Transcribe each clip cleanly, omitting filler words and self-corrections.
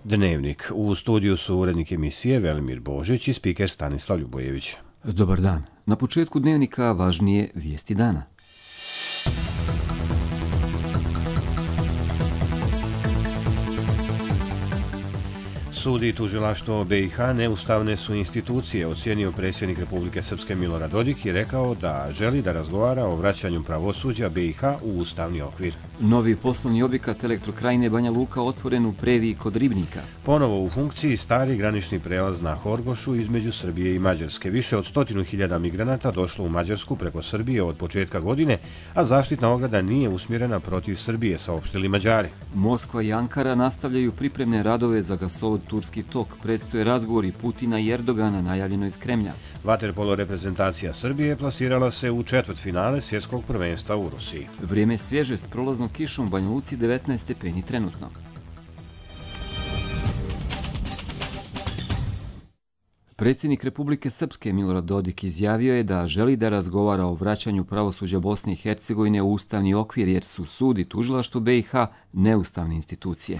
Dnevnik. U studiju su urednik emisije Velimir Božić i spiker Stanislav Ljubojević. Dobar dan. Na početku Dnevnika važnije vijesti dana. Sud i tužilaštvo BiH neustavne su institucije, ocijenio predsjednik Republike Srpske Milorad Dodik i rekao da želi da razgovara o vraćanju pravosuđa BiH u ustavni okvir. Novi poslovni objekat Elektrokrajine Banja Luka otvoren u Previji kod Ribnika. Ponovo u funkciji stari granični prelaz na Horgošu između Srbije i Mađarske. Više od 100.000 migranata došlo u Mađarsku preko Srbije od početka godine, a zaštitna ograda nije usmjerena protiv Srbije, saopštili Mađari. Moskva i Ankara nastavljaju pripremne radove za gasovod Turski tok. Predstoje razgovori Putina i Erdogana, najavljeno iz Kremlja. Vaterpolo reprezentacija Srbije plasirala se u četvrtfinale svjetskog prvenstva u Rusiji. Vrijeme svježe s prolaznom kišom u Banja Luci, 19 stepeni trenutno. Predsjednik Republike Srpske Milorad Dodik izjavio je da želi da razgovara o vraćanju pravosuđa Bosne i Hercegovine u ustavni okvir, jer su sud i tužilaštvo BiH neustavne institucije.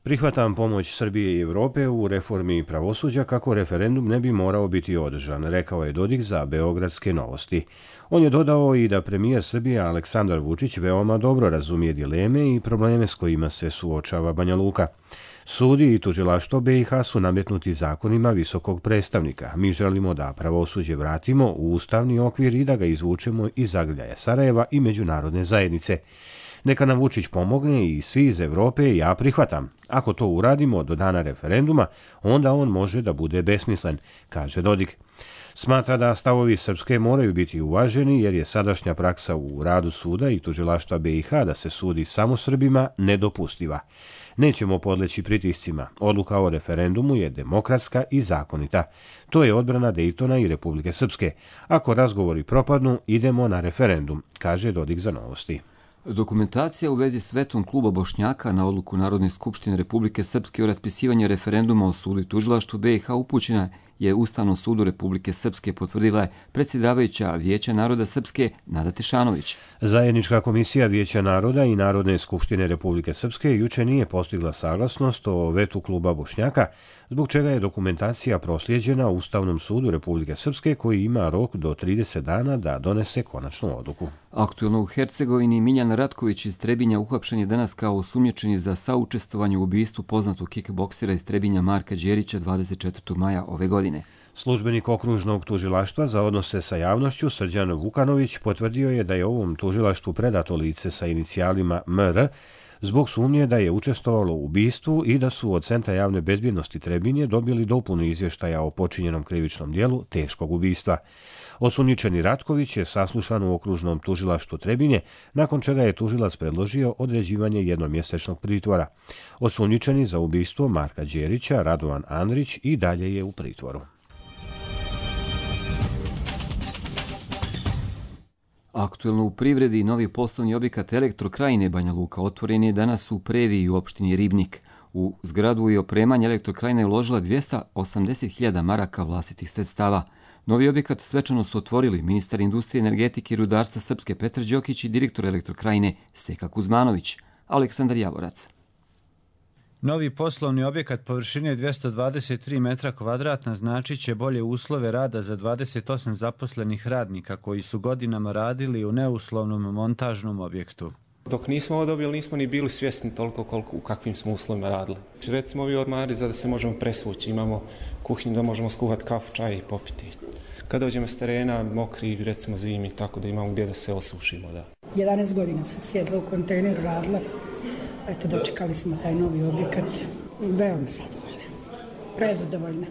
Prihvatam pomoć Srbije i Evrope u reformi pravosuđa kako referendum ne bi morao biti održan, rekao je Dodik za Beogradske novosti. On je dodao i da premijer Srbije Aleksandar Vučić veoma dobro razumije dileme i probleme s kojima se suočava Banja Luka. Sudi i tužilaštvo BiH su nametnuti zakonima visokog predstavnika. Mi želimo da pravosuđe vratimo u ustavni okvir i da ga izvučemo iz zagrljaja Sarajeva i međunarodne zajednice. Neka nam Vučić pomogne i svi iz Evrope, ja prihvatam. Ako to uradimo do dana referenduma, onda on može da bude besmislen, kaže Dodik. Smatra da stavovi Srpske moraju biti uvaženi jer je sadašnja praksa u radu suda i tužilaštva BiH da se sudi samo Srbima nedopustiva. Nećemo podleći pritiscima. Odluka o referendumu je demokratska i zakonita. To je odbrana Dejtona i Republike Srpske. Ako razgovori propadnu, idemo na referendum, kaže Dodik za novosti. Dokumentacija u vezi s vetom kluba Bošnjaka na odluku Narodne skupštine Republike Srpske o raspisivanju referenduma o sudu i tužilaštvu BiH upućena je Ustavnom sudu Republike Srpske, potvrdila je predsjedavajuća Vijeća naroda Srpske Nada Tešanović. Zajednička komisija Vijeća naroda i Narodne skupštine Republike Srpske juče nije postigla saglasnost o vetu kluba Bošnjaka, zbog čega je dokumentacija proslijeđena Ustavnom sudu Republike Srpske, koji ima rok do 30 dana da donese konačnu odluku. Aktuelno u Hercegovini Miljan Ratković iz Trebinja uhapšen je danas kao osumnjičeni za saučestvovanje u ubistvu poznatog kickboksera iz Trebinja Marka Đerića 24. maja ove godine. Službenik okružnog tužilaštva za odnose sa javnošću Srđan Vukanović potvrdio je da je ovom tužilaštvu predato lice sa inicijalima MR zbog sumnje da je učestvovalo u ubistvu i da su od Centra javne bezbjednosti Trebinje dobili dopunu izvještaja o počinjenom krivičnom dijelu teškog ubistva. Osumnjičeni Ratković je saslušan u okružnom tužilaštvu Trebinje, nakon čega je tužilac predložio određivanje jednomjesečnog pritvora. Osumnjičeni za ubistvo Marka Đerića, Radovan Andrić, i dalje je u pritvoru. Aktuelno u privredi novi poslovni objekat Elektrokrajine Banja Luka otvoren je danas u Previji u opštini Ribnik. U zgradu i opremanje Elektrokrajina je uložila 280.000 maraka vlastitih sredstava. Novi objekat svečano su otvorili ministar industrije, energetike i rudarstva Srpske Petar Đokić i direktor Elektrokrajine Seka Kuzmanović. Aleksandar Javorac. Novi poslovni objekat površine 223 metra kvadratna značit će bolje uslove rada za 28 zaposlenih radnika koji su godinama radili u neuslovnom montažnom objektu. Dok nismo ovo dobili, nismo ni bili svjesni toliko u kakvim smo uslovima radili. Recimo ovi ormari za da se možemo presvući, imamo kuhinju da možemo skuhati kafu, čaj i popiti. Kada dođemo s terena, mokri, recimo zimi, tako da imamo gdje da se osušimo. Da. 11 godina sam sjedla u kontejneru, radila. Eto, dočekali smo taj novi objekat. Veoma zadovoljna. Prezadovoljna.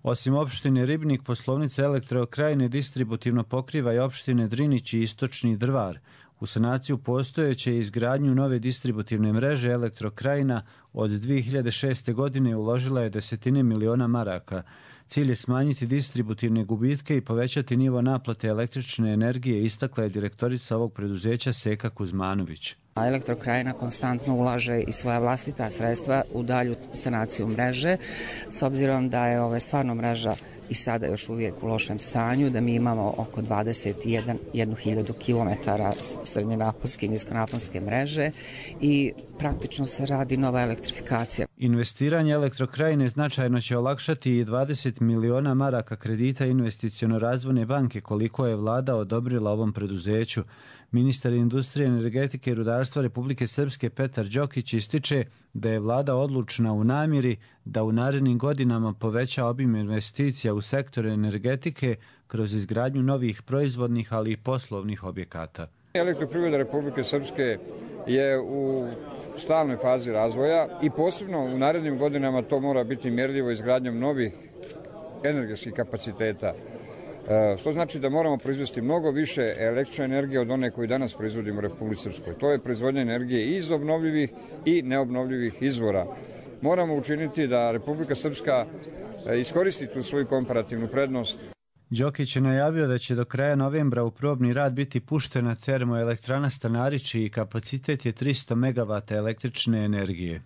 Osim opštine Ribnik, poslovnica Elektrokrajine distributivno pokriva i opštine Drinić i Istočni Drvar. U sanaciju postojeće i izgradnju nove distributivne mreže Elektrokrajina od 2006. godine uložila je desetine miliona maraka. Cilj je smanjiti distributivne gubitke i povećati nivo naplate električne energije, istakla je direktorica ovog preduzeća Seka Kuzmanović. Elektrokrajina konstantno ulaže i svoja vlastita sredstva u dalju sanaciju mreže, s obzirom da je stvarno mreža i sada još uvijek u lošem stanju, da mi imamo oko 21.000 km srednjenaponske i niskonaponske mreže i praktično se radi nova elektrifikacija. Investiranje Elektrokrajine značajno će olakšati i 20 miliona maraka kredita investiciono razvojne banke koliko je vlada odobrila ovom preduzeću. Ministar industrije, energetike i rudarstva Republike Srpske Petar Đokić ističe da je vlada odlučna u namjeri da u narednim godinama poveća obim investicija u sektor energetike kroz izgradnju novih proizvodnih, ali i poslovnih objekata. Elektroprivreda Republike Srpske je u stalnoj fazi razvoja i posebno u narednim godinama to mora biti mjerljivo izgradnjom novih energetskih kapaciteta. Što znači da moramo proizvesti mnogo više električne energije od one koju danas proizvodimo u Republici Srpskoj. To je proizvodnja energije i iz obnovljivih i neobnovljivih izvora. Moramo učiniti da Republika Srpska iskoristi tu svoju komparativnu prednost. Đokić je najavio da će do kraja novembra u probni rad biti puštena termoelektrana Stanarić čiji kapacitet je 300 MW električne energije.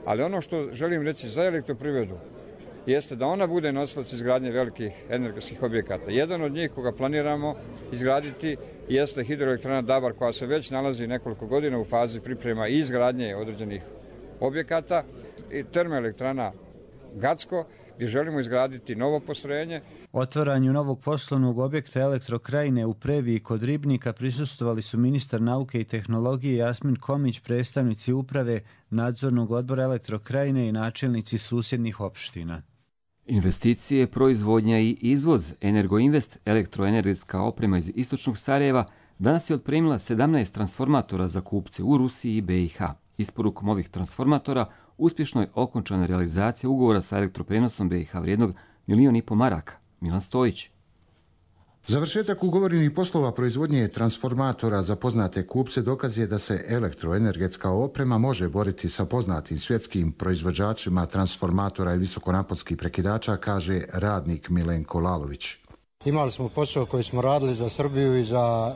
Ali ono što želim reći za elektroprivredu jeste da ona bude nosilac izgradnje velikih energetskih objekata. Jedan od njih koga planiramo izgraditi jeste hidroelektrana Dabar koja se već nalazi nekoliko godina u fazi priprema i izgradnje određenih objekata i termoelektrana Gacko gdje želimo izgraditi novo postrojenje. Otvaranju novog poslovnog objekta Elektrokrajine u Previji kod Ribnika prisustvovali su ministar nauke i tehnologije Jasmin Komić, predstavnici uprave nadzornog odbora Elektrokrajine i načelnici susjednih opština. Investicije, proizvodnja i izvoz Energoinvest, elektroenergetska oprema iz istočnog Sarajeva, danas je otpremila 17 transformatora za kupce u Rusiji i BiH. Isporukom ovih transformatora uspješno je okončana realizacija ugovora sa elektroprenosom BiH vrijednog 1,5 milijuna maraka. Milan Stojić. Završetak ugovorenih poslova proizvodnje transformatora za poznate kupce dokaz je da se elektroenergetska oprema može boriti sa poznatim svjetskim proizvođačima transformatora i visokonaponskih prekidača, kaže radnik Milenko Lalović. Imali smo posao koji smo radili za Srbiju i za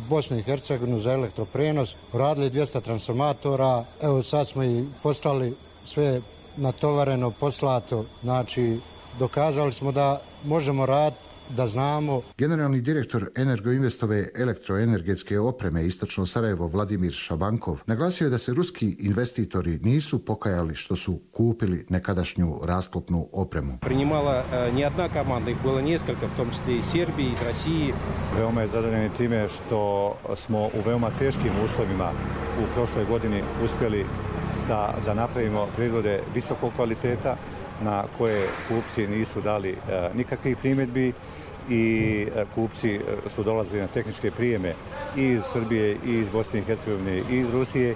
Bosnu i Hercegovinu za elektroprenos. Radili 200 transformatora. Evo sad smo i postali sve natovareno, poslato. Znači, dokazali smo da možemo raditi, da znamo. Generalni direktor Energoinvestove elektroenergetske opreme Istočno Sarajevo Vladimir Šabankov naglasio je da se ruski investitori nisu pokajali što su kupili nekadašnju rasklopnu opremu. Priнимала не одна команда, их было несколько, в том числе из Сербии, из России. Veoma je zadovoljan time što smo u veoma teškim uslovima u prošloj godini uspjeli da napravimo proizvode visokog kvaliteta na koje kupci nisu dali nikakvih primjedbi i kupci su dolazili na tehničke prijeme i iz Srbije, i iz Bosne i Hercegovine, i iz Rusije.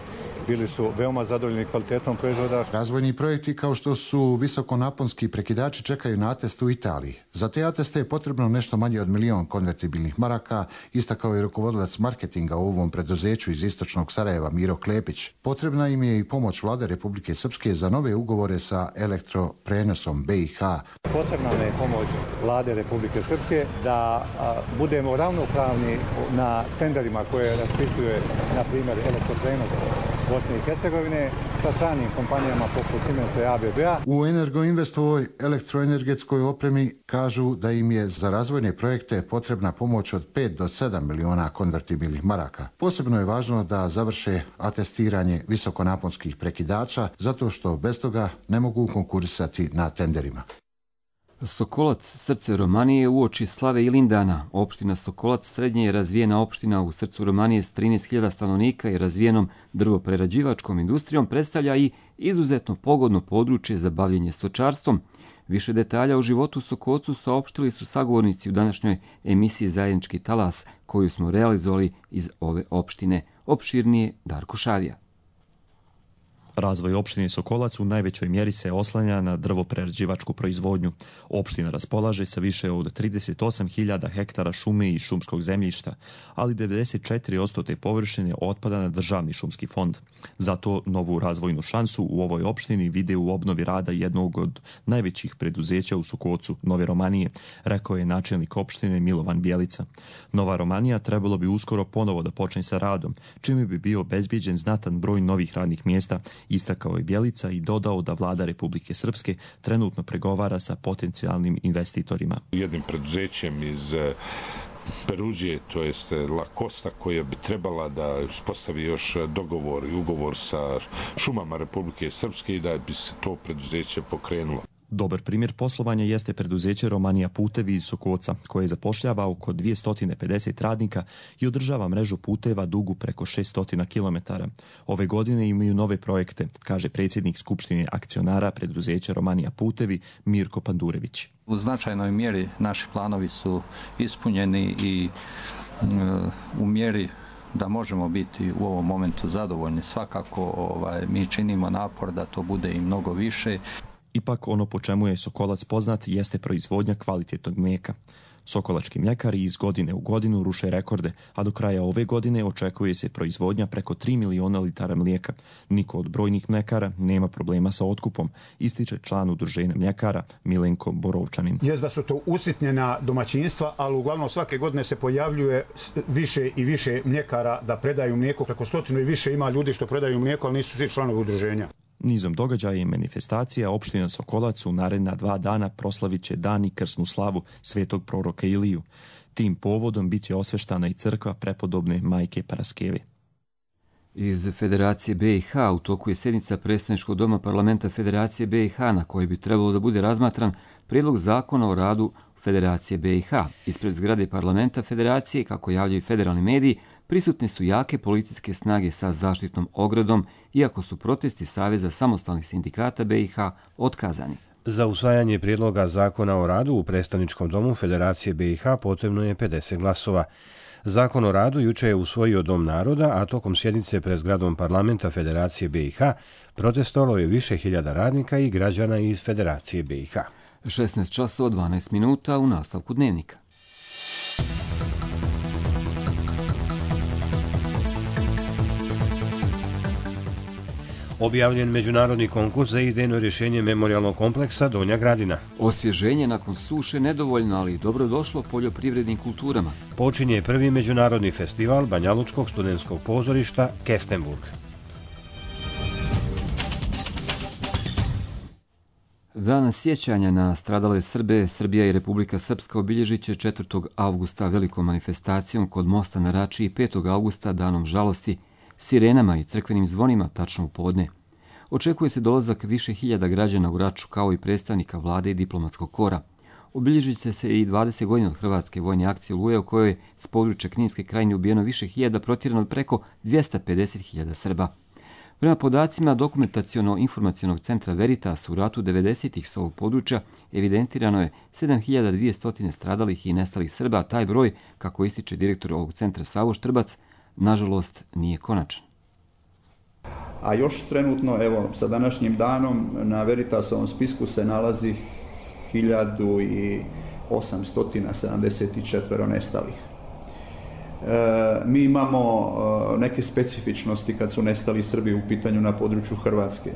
Bili su veoma zadovoljni kvalitetom proizvoda. Razvojni projekti kao što su visokonaponski prekidači čekaju na atest u Italiji. Za te ateste je potrebno nešto manje od 1 milion konvertibilnih maraka, istakao je rukovodilac marketinga u ovom preduzeću iz istočnog Sarajeva Miro Klepić. Potrebna im je i pomoć vlade Republike Srpske za nove ugovore sa elektroprenosom BiH. Potrebna je pomoć vlade Republike Srpske da budemo ravnopravni na tenderima koje raspisuje, na primjer, elektroprenos Bosne i Hercegovine sa stranim kompanijama poput Siemensa i ABB-a. U Energoinvestovoj elektroenergetskoj opremi kažu da im je za razvojne projekte potrebna pomoć od 5 do 7 miliona konvertibilnih maraka. Posebno je važno da završe atestiranje visokonaponskih prekidača, zato što bez toga ne mogu konkurisati na tenderima. Sokolac, srce Romanije, uoči slave Ilindana. Opština Sokolac srednje je razvijena opština u srcu Romanije s 13.000 stanovnika i razvijenom drvoprerađivačkom industrijom predstavlja i izuzetno pogodno područje za bavljenje stočarstvom. Više detalja o životu u Sokolcu saopštili su sagovornici u današnjoj emisiji Zajednički talas koju smo realizovali iz ove opštine. Opširnije Darko Šavija. Razvoj opštine Sokolac u najvećoj mjeri se oslanja na drvoprerađivačku proizvodnju. Opština raspolaže sa više od 38.000 hektara šume i šumskog zemljišta, ali 94% te površine otpada na državni šumski fond. Zato novu razvojnu šansu u ovoj opštini vide u obnovi rada jednog od najvećih preduzeća u Sokolcu, Nove Romanije, rekao je načelnik opštine Milovan Bjelica. Nova Romanija trebalo bi uskoro ponovo da počne sa radom, čime bi bio obezbijeđen znatan broj novih radnih mjesta, istakao je Bjelica i dodao da vlada Republike Srpske trenutno pregovara sa potencijalnim investitorima. Jednim preduzećem iz Peruđije, to jest La Costa, koja bi trebala da uspostavi još dogovor i ugovor sa šumama Republike Srpske i da bi se to preduzeće pokrenulo. Dobar primjer poslovanja jeste preduzeće Romanija Putevi iz Sokoca, koje zapošljava oko 250 radnika i održava mrežu puteva dugu preko 600 km. Ove godine imaju nove projekte, kaže predsjednik Skupštine akcionara preduzeća Romanija Putevi Mirko Pandurević. U značajnoj mjeri naši planovi su ispunjeni i u mjeri da možemo biti u ovom momentu zadovoljni. Svakako mi činimo napor da to bude i mnogo više. Ipak ono po čemu je Sokolac poznat jeste proizvodnja kvalitetnog mlijeka. Sokolački mljekari iz godine u godinu ruše rekorde, a do kraja ove godine očekuje se proizvodnja preko 3 miliona litara mlijeka. Niko od brojnih mljekara nema problema sa otkupom, ističe član udruženja mljekara Milenko Borovčanin. Jest da su to usitnjena domaćinstva, ali uglavnom svake godine se pojavljuje više i više mljekara da predaju mlijeko. Preko 100 i više ima ljudi što predaju mlijeko, ali nisu svi članovi udruženja. Nizom događaja i manifestacija opština Sokolac u naredna 2 dana proslavit će dan i krsnu slavu svetog proroka Iliju. Tim povodom bit će osveštana i crkva prepodobne Majke Paraskeve. Iz Federacije BiH u toku je sjednica predstavničkog doma parlamenta Federacije BiH na kojoj bi trebalo da bude razmatran prijedlog zakona o radu Federacije BiH. Ispred zgrade parlamenta Federacije, kako javljaju federalni mediji, prisutne su jake policijske snage sa zaštitnom ogradom, iako su protesti Saveza samostalnih sindikata BiH otkazani. Za usvajanje prijedloga zakona o radu u predstavničkom domu Federacije BiH potrebno je 50 glasova. Zakon o radu juče je usvojio Dom naroda, a tokom sjednice pred zgradom parlamenta Federacije BiH protestovalo je više hiljada radnika i građana iz Federacije BiH. 16 časova 12 minuta u nastavku dnevnika. Objavljen međunarodni konkurs za idejno rješenje memorijalnog kompleksa Donja Gradina. Osvježenje nakon suše nedovoljno, ali dobrodošlo poljoprivrednim kulturama. Počinje prvi međunarodni festival Banjalučkog studentskog pozorišta Kestenburg. Dan sjećanja na stradale Srbe, Srbija i Republika Srpska obilježit će 4. avgusta velikom manifestacijom kod mosta na Rači i 5. avgusta danom žalosti, sirenama i crkvenim zvonima tačno u podne. Očekuje se dolazak više hiljada građana u Raču kao i predstavnika vlade i diplomatskog kora. Obilježit će se i 20 godina od Hrvatske vojne akcije Oluje, u kojoj je s područja Kninske krajine ubijeno više hiljada, protjerano preko 250.000 Srba. Prema podacima Dokumentaciono-informacionog centra Veritas, u ratu 90-ih s ovog područja evidentirano je 7200 stradalih i nestalih Srba, a taj broj, kako ističe direktor ovog centra Savo Štrbac, nažalost nije konačan. A još trenutno, evo, sa današnjim danom na Veritasovom spisku se nalazi 1874 nestalih. Mi imamo neke specifičnosti kad su nestali Srbi u pitanju na području Hrvatske.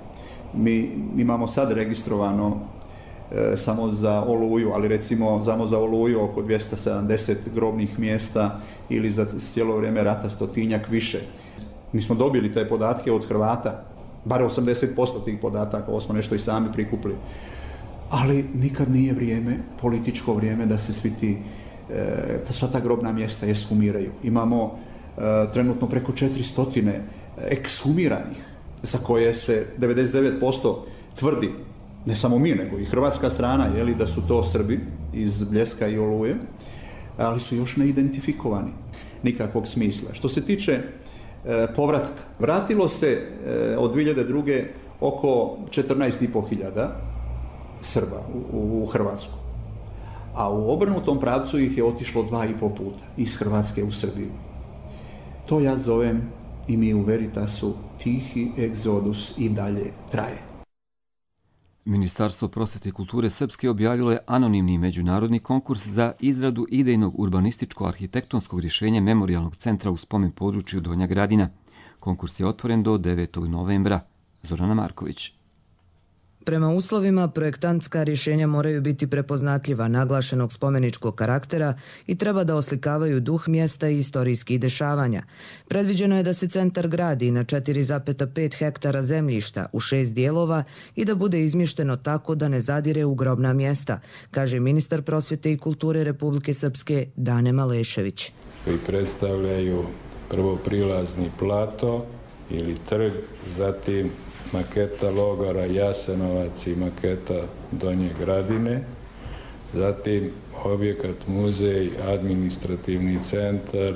Mi imamo sad registrovano samo za Oluju, ali recimo samo za Oluju oko 270 grobnih mjesta ili za cijelo vrijeme rata 100-tinjak više. Mi smo dobili te podatke od Hrvata, bar 80% tih podataka, ovo smo nešto i sami prikupili. Ali nikad nije vrijeme, političko vrijeme da se sva ta grobna mjesta ekshumiraju. Imamo trenutno preko 400 ekshumiranih, za koje se 99% tvrdi, ne samo mi, nego i hrvatska strana, da su to Srbi iz Bljeska i Oluje, ali su još neidentifikovani, nikakvog smisla. Što se tiče povratka, vratilo se od 2002. oko 14.500 Srba u Hrvatsku, a u obrnutom pravcu ih je otišlo 2,5 puta iz Hrvatske u Srbiju. To ja zovem, i mi u Veritasu, tihi egzodus i dalje traje. Ministarstvo prosvete i kulture Srpske objavilo je anonimni međunarodni konkurs za izradu idejnog urbanističko-arhitektonskog rješenja memorijalnog centra u spomen području Donja Gradina. Konkurs je otvoren do 9. novembra. Zorana Marković. Prema uslovima, projektantska rješenja moraju biti prepoznatljiva, naglašenog spomeničkog karaktera i treba da oslikavaju duh mjesta i istorijskih dešavanja. Predviđeno je da se centar gradi na 4,5 hektara zemljišta u 6 dijelova i da bude izmješteno tako da ne zadire u grobna mjesta, kaže ministar prosvjete i kulture Republike Srpske Dane Malešević. Koji predstavljaju prvo prilazni plato ili trg, zatim maketa logora Jasenovac i maketa Donje Gradine, zatim objekat muzej, administrativni centar,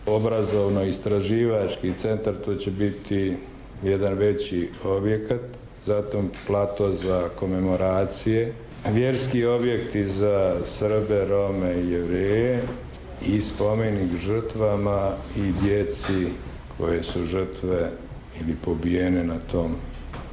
obrazovno-istraživački centar, to će biti jedan veći objekat, zatim plato za komemoracije, vjerski objekti za Srbe, Rome i Jevreje i spomenik žrtvama i djeci koje su žrtve ili pobijene na tom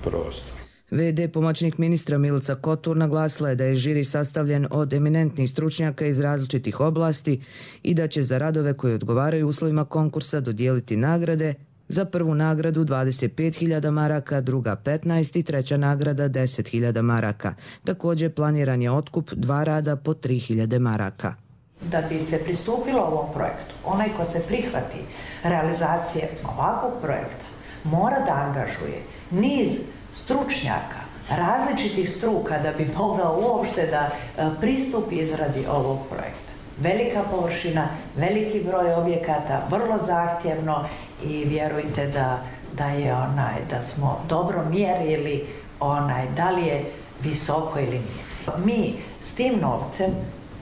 prostoru. VD pomoćnik ministra Milica Kotur naglasila je da je žiri sastavljen od eminentnih stručnjaka iz različitih oblasti i da će za radove koji odgovaraju uslovima konkursa dodijeliti nagrade, za prvu nagradu 25.000 maraka, druga 15 i treća nagrada 10.000 maraka. Također planiran je otkup 2 rada po 3.000 maraka. Da bi se pristupilo ovom projektu, onaj ko se prihvati realizacije ovakvog projekta mora da angažuje niz stručnjaka, različitih struka da bi mogao uopšte da pristupi izradi ovog projekta. Velika površina, veliki broj objekata, vrlo zahtjevno i vjerujte da smo dobro mjerili da li je visoko ili nije. Mi s tim novcem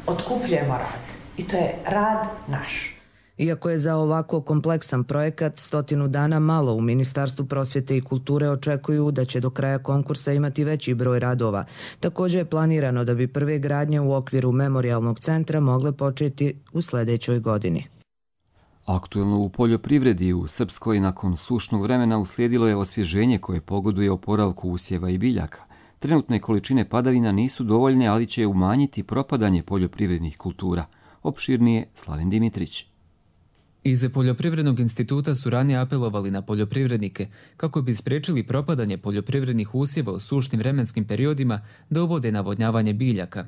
otkupljujemo rad i to je rad naš. Iako je za ovako kompleksan projekat 100 dana malo, u Ministarstvu prosvjete i kulture očekuju da će do kraja konkursa imati veći broj radova. Također je planirano da bi prve gradnje u okviru memorijalnog centra mogle početi u sljedećoj godini. Aktuelno u poljoprivredi u Srpskoj nakon sušnog vremena uslijedilo je osvježenje koje pogoduje oporavku usjeva i biljaka. Trenutne količine padavina nisu dovoljne, ali će umanjiti propadanje poljoprivrednih kultura. Opširnije Slaven Dimitrić. Iz Poljoprivrednog instituta su ranije apelovali na poljoprivrednike kako bi spriječili propadanje poljoprivrednih usjeva u sušnim vremenskim periodima da uvode navodnjavanje biljaka.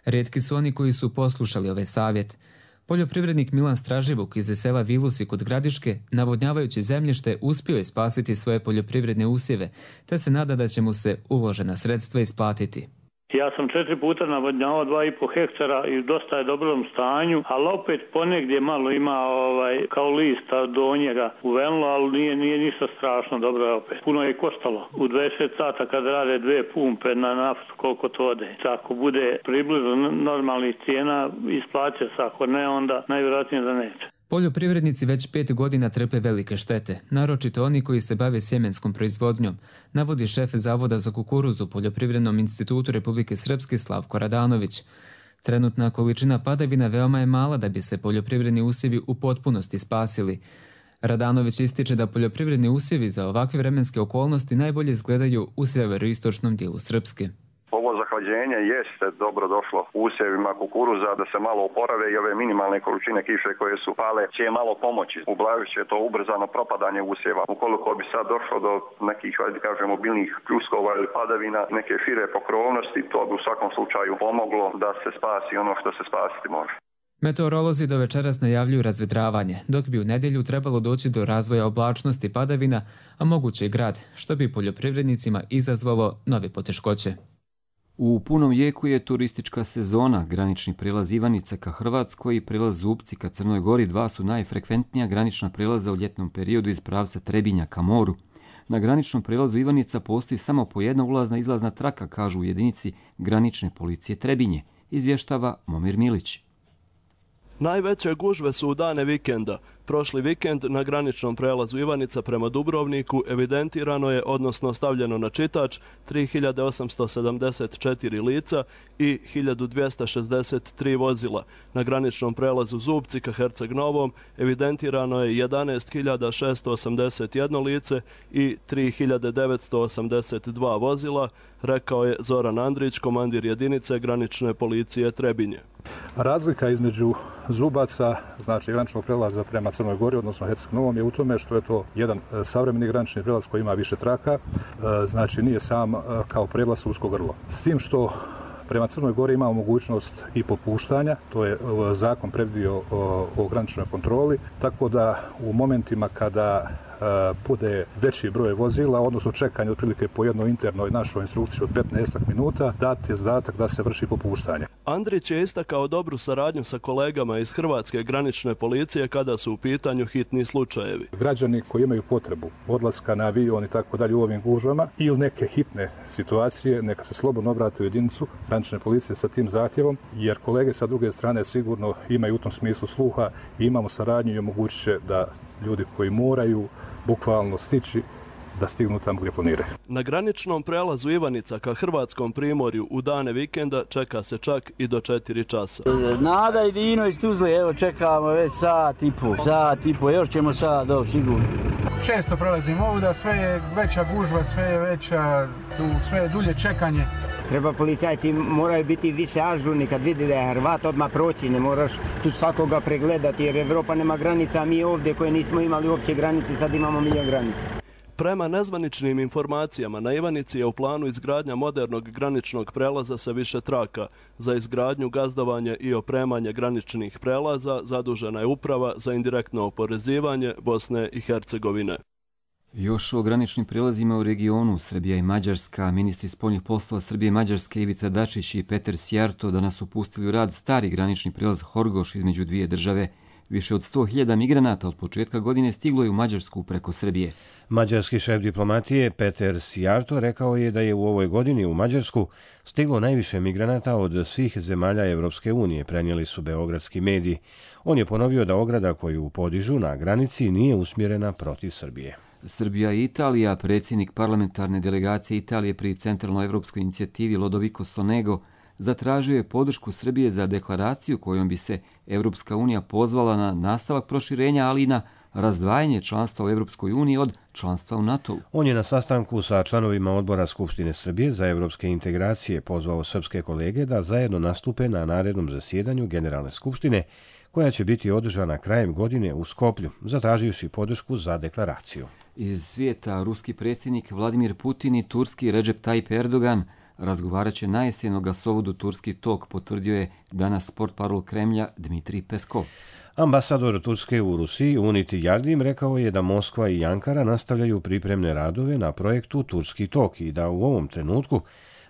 Rijetki su oni koji su poslušali ovaj savjet. Poljoprivrednik Milan Straživuk iz sela Vilusi kod Gradiške, navodnjavajući zemljište, uspio je spasiti svoje poljoprivredne usjeve, te se nada da će mu se uložena sredstva isplatiti. Ja sam 4 puta navodnjavao 2,5 hektara i dosta je dobrom stanju, ali opet ponegdje malo ima kao lista do njega uvenilo, ali nije ništa strašno, dobro je opet. Puno je koštalo. U 26 sata kad rade 2 pumpe na naftu, koliko to ode. Ako bude približno normalnih cijena, isplaće se, ako ne, onda najvjerojatnije da neće. Poljoprivrednici već 5 godina trpe velike štete, naročito oni koji se bave sjemenskom proizvodnjom, navodi šef Zavoda za kukuruzu u Poljoprivrednom institutu Republike Srpske Slavko Radanović. Trenutna količina padavina veoma je mala da bi se poljoprivredni usjevi u potpunosti spasili. Radanović ističe da poljoprivredni usjevi za ovakve vremenske okolnosti najbolje izgledaju u sjeveroistočnom dijelu Srpske. Ovo zahlađenje jeste dobro došlo usjevima kukuruza da se malo oporave i ove minimalne količine kiše koje su pale će malo pomoći. Ublažit će to ubrzano propadanje usjeva. Ukoliko bi sad došlo do nekih, biljnih pljuskova ili padavina, neke šire pokrovnosti, to bi u svakom slučaju pomoglo da se spasi ono što se spasiti može. Meteorolozi do večeras najavljuju razvedravanje, dok bi u nedjelju trebalo doći do razvoja oblačnosti padavina, a moguće i grad, što bi poljoprivrednicima izazvalo nove poteškoće. U punom jeku je turistička sezona. Granični prijelaz Ivanica ka Hrvatskoj i prijelaz Zubci ka Crnoj Gori 2 su najfrekventnija granična prijelaza u ljetnom periodu iz pravca Trebinja ka moru. Na graničnom prijelazu Ivanica postoji samo po jedna ulazna izlazna traka, kažu u jedinici granične policije Trebinje, izvještava Momir Milić. Najveće gužve su u dane vikenda. Prošli vikend na graničnom prelazu Ivanica prema Dubrovniku evidentirano je, odnosno stavljeno na čitač, 3874 lica i 1263 vozila. Na graničnom prelazu Zubci ka Herceg Novom evidentirano je 11681 lice i 3982 vozila, rekao je Zoran Andrić, komandir jedinice granične policije Trebinje. Razlika između Zubaca, znači graničnog prelaza prema Crnoj Gori, odnosno Herceg-Novom, je u tome što je to jedan savremeni granični prijelaz koji ima više traka, znači nije sam kao prijelaz usko grlo. S tim što prema Crnoj Gori imamo mogućnost i popuštanja, to je zakon predvidio o graničnoj kontroli, tako da u momentima kada bude veći broj vozila, odnosno čekanje otprilike po jednoj internoj našoj instrukciji od 15 minuta, dat je zadatak da se vrši popuštanje. Andrić je istakao dobru saradnju sa kolegama iz Hrvatske granične policije kada su u pitanju hitni slučajevi. Građani koji imaju potrebu odlaska na avion i tako dalje u ovim gužvama ili neke hitne situacije, neka se slobodno obrate u jedinicu granične policije sa tim zahtjevom, jer kolege sa druge strane sigurno imaju u tom smislu sluha i imamo saradnju i omogućit će da ljudi koji moraju bukvalno stići da stignu tamo gdje planiraju. Na graničnom prelazu Ivanica ka hrvatskom primorju u dane vikenda čeka se čak i do 4 časa. Nada i Dino iz Tuzle, evo čekamo već sat i po, još ćemo sad do sigurno. Često prolazimo ovuda, sve je veća gužva, sve je veća, sve je dulje čekanje. Treba policajci moraju biti više ažurni kad vidi da je Hrvat odmah proći, ne moraš tu svakoga pregledati jer Evropa nema granica, a mi ovdje koje nismo imali uopće granice, sad imamo milion granica. Prema nezvaničnim informacijama, na Ivanici je u planu izgradnja modernog graničnog prelaza sa više traka. Za izgradnju, gazdovanje i opremanje graničnih prelaza zadužena je Uprava za indirektno oporezivanje Bosne i Hercegovine. Još o graničnim prijelazima u regionu Srbija i Mađarska, ministri spoljnih poslova Srbije i Mađarske Ivica Dačić i Peter Sjarto danas upustili u rad stari granični prijelaz Horgoš između dvije države. Više od 100.000 migranata od početka godine stiglo je u Mađarsku preko Srbije. Mađarski šef diplomatije Peter Sjarto rekao je da je u ovoj godini u Mađarsku stiglo najviše migranata od svih zemalja Evropske unije, prenijeli su beogradski mediji. On je ponovio da ograda koju podižu na granici nije usmjerena protiv Srbije. Srbija i Italija, predsjednik parlamentarne delegacije Italije pri centralnoevropskoj inicijativi Lodovico Sonego, zatražio je podršku Srbije za deklaraciju kojom bi se Evropska unija pozvala na nastavak proširenja, ali i na razdvajanje članstva u Evropskoj uniji od članstva u NATO-u. On je na sastanku sa članovima odbora Skupštine Srbije za evropske integracije pozvao srpske kolege da zajedno nastupe na narednom zasjedanju Generalne skupštine, koja će biti održana krajem godine u Skoplju, zatraživši podršku za deklaraciju. Iz svijeta ruski predsjednik Vladimir Putin i turski Recep Tayyip Erdogan razgovarat će na jesen o gasovodu Turski tok, potvrdio je danas portparol Kremlja Dmitrij Peskov. Ambasador Turske u Rusiji Uniti Yardim rekao je da Moskva i Ankara nastavljaju pripremne radove na projektu Turski tok i da u ovom trenutku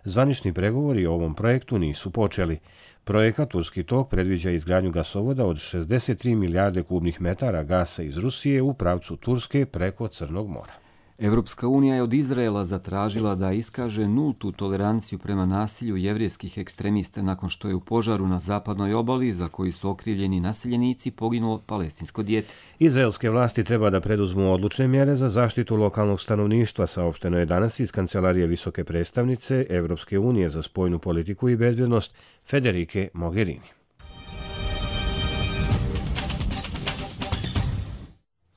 zvanični pregovori o ovom projektu nisu počeli. Projekat Turski tok predviđa izgradnju gasovoda od 63 milijarde kubnih metara gasa iz Rusije u pravcu Turske preko Crnog mora. Evropska unija je od Izraela zatražila da iskaže nultu toleranciju prema nasilju jevrijskih ekstremista nakon što je u požaru na zapadnoj obali, za koji su okrivljeni naseljenici, poginulo palestinsko dijete. Izraelske vlasti treba da preduzmu odlučne mjere za zaštitu lokalnog stanovništva, saopšteno je danas iz kancelarije visoke predstavnice Evropske unije za spoljnu politiku i bezbjednost Federike Mogherini.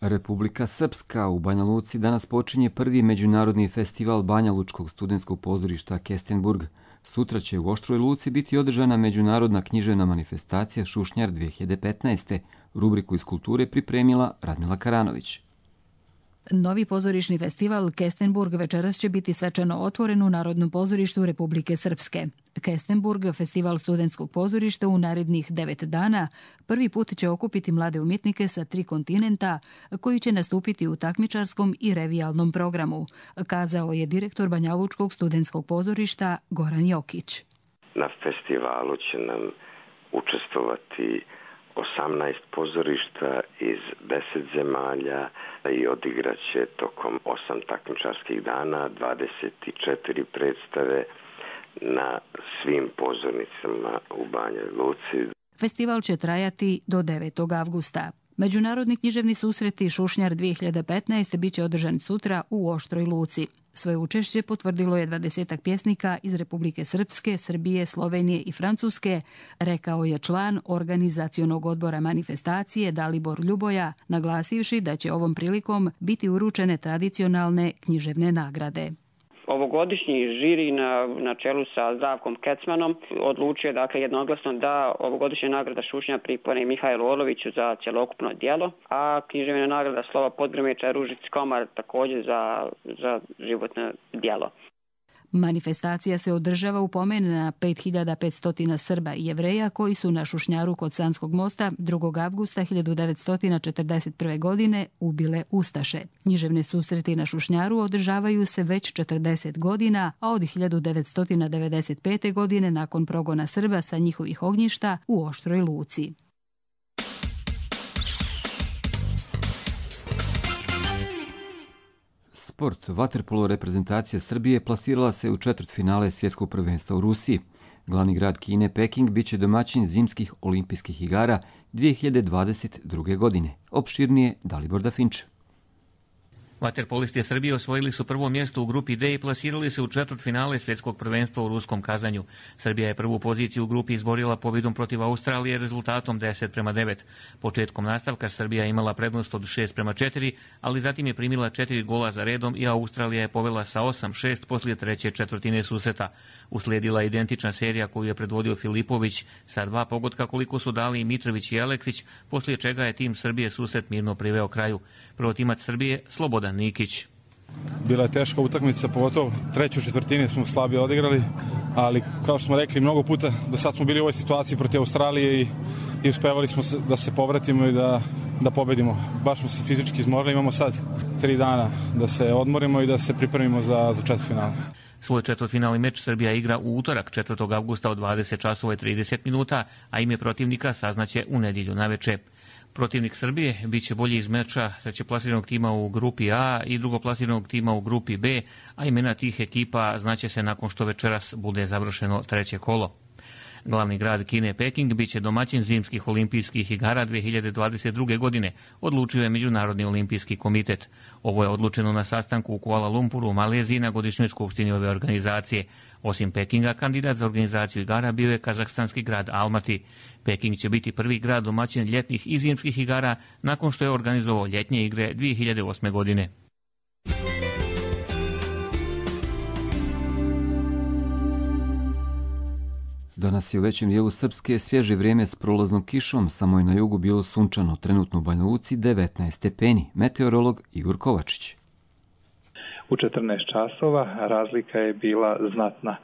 Republika Srpska u Banja Luci danas počinje prvi međunarodni festival Banja Lučkog studentskog pozorišta Kestenburg. Sutra će u Oštroj Luci biti održana međunarodna književna manifestacija Šušnjar 2015. Rubriku iz kulture pripremila Radmila Karanović. Novi pozorišni festival Kestenburg večeras će biti svečano otvoren u Narodnom pozorištu Republike Srpske. Kestenburg, festival studentskog pozorišta u narednih 9 dana, prvi put će okupiti mlade umjetnike sa 3 kontinenta koji će nastupiti u takmičarskom i revijalnom programu, kazao je direktor Banjalučkog studentskog pozorišta Goran Jokić. Na festivalu će nam učestvovati 18 pozorišta iz 10 zemalja i odigraće tokom 8 takmičarskih dana 24 predstave na svim pozornicama u Banja Luci. Festival će trajati do 9. avgusta. Međunarodni književni susreti Šušnjar 2015. bit će održan sutra u Oštroj Luci. Svoje učešće potvrdilo je 20 pjesnika iz Republike Srpske, Srbije, Slovenije i Francuske, rekao je član organizacionog odbora manifestacije Dalibor Ljuboja, naglasivši da će ovom prilikom biti uručene tradicionalne književne nagrade. Ovogodišnji žiri na čelu sa Zdravkom Kecmanom odlučio dakle jednoglasno da ovogodišnja nagrada Šušnja pripadne Mihajlu Orloviću za cjelokupno djelo, a književna nagrada Slova Podgrmeča Ružici Komar također za životno djelo. Manifestacija se održava u pomen na 5500 Srba i Jevreja koji su na Šušnjaru kod Sanskog mosta 2. avgusta 1941. godine ubile ustaše. Književne susreti na Šušnjaru održavaju se već 40 godina, a od 1995. godine nakon progona Srba sa njihovih ognjišta u Oštroj Luci. Sport. Vaterpolo reprezentacija Srbije plasirala se u četvrtfinale svjetskog prvenstva u Rusiji. Glavni grad Kine, Peking, bit će domaćin zimskih olimpijskih igara 2022. godine. Opširnije Dalibor Dafinč. Vaterpolisti Srbije osvojili su prvo mjesto u grupi D i plasirali se u četvrtfinale svjetskog prvenstva u ruskom Kazanju. Srbija je prvu poziciju u grupi izborila pobjedom protiv Australije rezultatom 10:9. Početkom nastavka Srbija imala prednost od 6:4, ali zatim je primila 4 gola za redom i Australija je povela sa 8-6 poslije treće četvrtine susreta. Uslijedila identična serija koju je predvodio Filipović sa 2 pogotka koliko su dali i Mitrović i Aleksić, poslije čega je tim Srbije susret mirno priveo kraju. Prvotimac Srbije Slobodan Nikić. Bila je teška utakmica, pogotovo treću četvrtini smo slabije odigrali, ali kao što smo rekli mnogo puta, do sad smo bili u ovoj situaciji protiv Australije i uspevali smo da se povratimo i da pobedimo. Baš smo se fizički izmorili, imamo sad 3 dana da se odmorimo i da se pripremimo za četvrtfinale. Svoj četvrtfinalni meč Srbija igra u utorak 4. avgusta od 20:30, a ime protivnika saznaće u nedjelju naveče. Protivnik Srbije bit će bolji iz meča trećeplasiranog tima u grupi A i drugoplasiranog tima u grupi B, a imena tih ekipa znaće se nakon što večeras bude završeno treće kolo. Glavni grad Kine, Peking, bit će domaćin zimskih olimpijskih igara 2022. godine, odlučio je Međunarodni olimpijski komitet. Ovo je odlučeno na sastanku u Kuala Lumpuru u Maleziji na godišnjoj skupštini ove organizacije. Osim Pekinga, kandidat za organizaciju igara bio je kazahstanski grad Almati. Peking će biti prvi grad domaćin ljetnih i zimskih igara nakon što je organizovao ljetnje igre 2008. godine. Danas je u većem dijelu Srpske svježe vrijeme s prolaznom kišom, samo je na jugu bilo sunčano, trenutno u Banja Luci 19 stepeni. Meteorolog Igor Kovačić. U 14 časova razlika je bila znatna.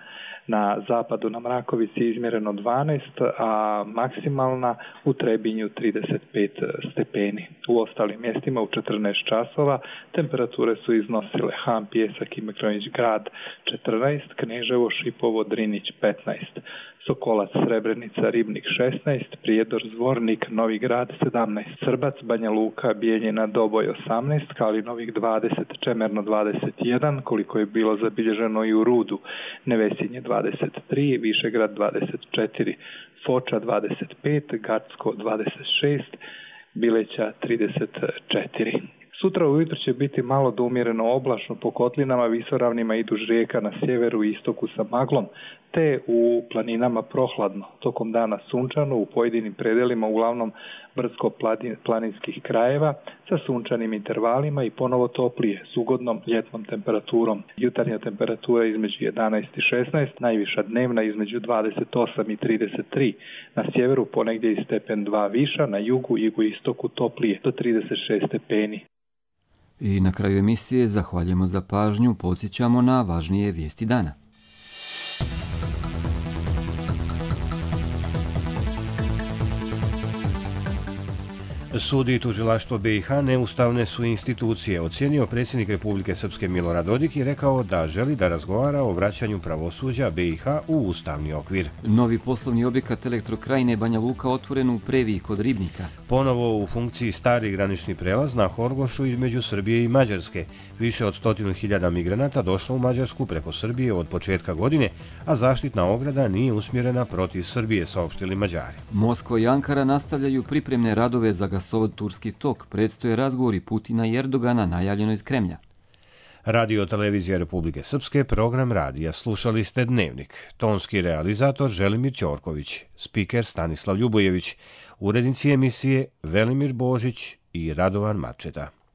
Na zapadu na Mrakovici izmjereno 12, a maksimalna u Trebinju 35 stepeni. U ostalim mjestima u 14 časova temperature su iznosile Ham, Pjesak i Mekronić grad 14, Kneževo, Šipovo, Drinić 15, Sokolac, Srebrenica, Ribnik 16, Prijedor, Zvornik, Novi grad 17, Srbac, Banja Luka, Bijeljina, Doboj 18, Kalinovik 20, Čemerno 21, koliko je bilo zabilježeno i u Rudu, Nevesinje 23, Višegrad 24, Foča 25, Gacko 26, Bileća 34. Sutra ujutro će biti malo do umjereno oblačno po kotlinama, visoravnima i duž rijeka na sjeveru i istoku sa maglom, te u planinama prohladno. Tokom dana sunčano u pojedinim predelima, uglavnom brdsko-planinskih krajeva, sa sunčanim intervalima i ponovo toplije, s ugodnom ljetnom temperaturom. Jutarnja temperatura između 11 i 16, najviša dnevna između 28 i 33, na sjeveru ponegdje i stepen 2 viša, na jugu i jugoistoku toplije do 36 stepeni. I na kraju emisije zahvaljujemo za pažnju, podsjećamo na važnije vijesti dana. Sud i tužilaštvo BiH neustavne su institucije, ocijenio predsjednik Republike Srpske Milorad Dodik i rekao da želi da razgovara o vraćanju pravosuđa BiH u ustavni okvir. Novi poslovni objekat Elektrokrajine Banja Luka otvoren u Previji kod Ribnika. Ponovo u funkciji stari granični prelaz na Horgošu između Srbije i Mađarske. Više od 100.000 migranata došlo u Mađarsku preko Srbije od početka godine, a zaštitna ograda nije usmjerena protiv Srbije, saopštili Mađari. Moskva i Ankara nastavljaju pripremne radove za gasovod Turski tok. Predstoje razgovori Putina i Erdogana, najavljeno iz Kremlja. Radio televizija Republike Srpske, program radija. Slušali ste Dnevnik. Tonski realizator Želimir Ćorković, spiker Stanislav Ljubojević, urednici emisije Velimir Božić i Radovan Mačeta.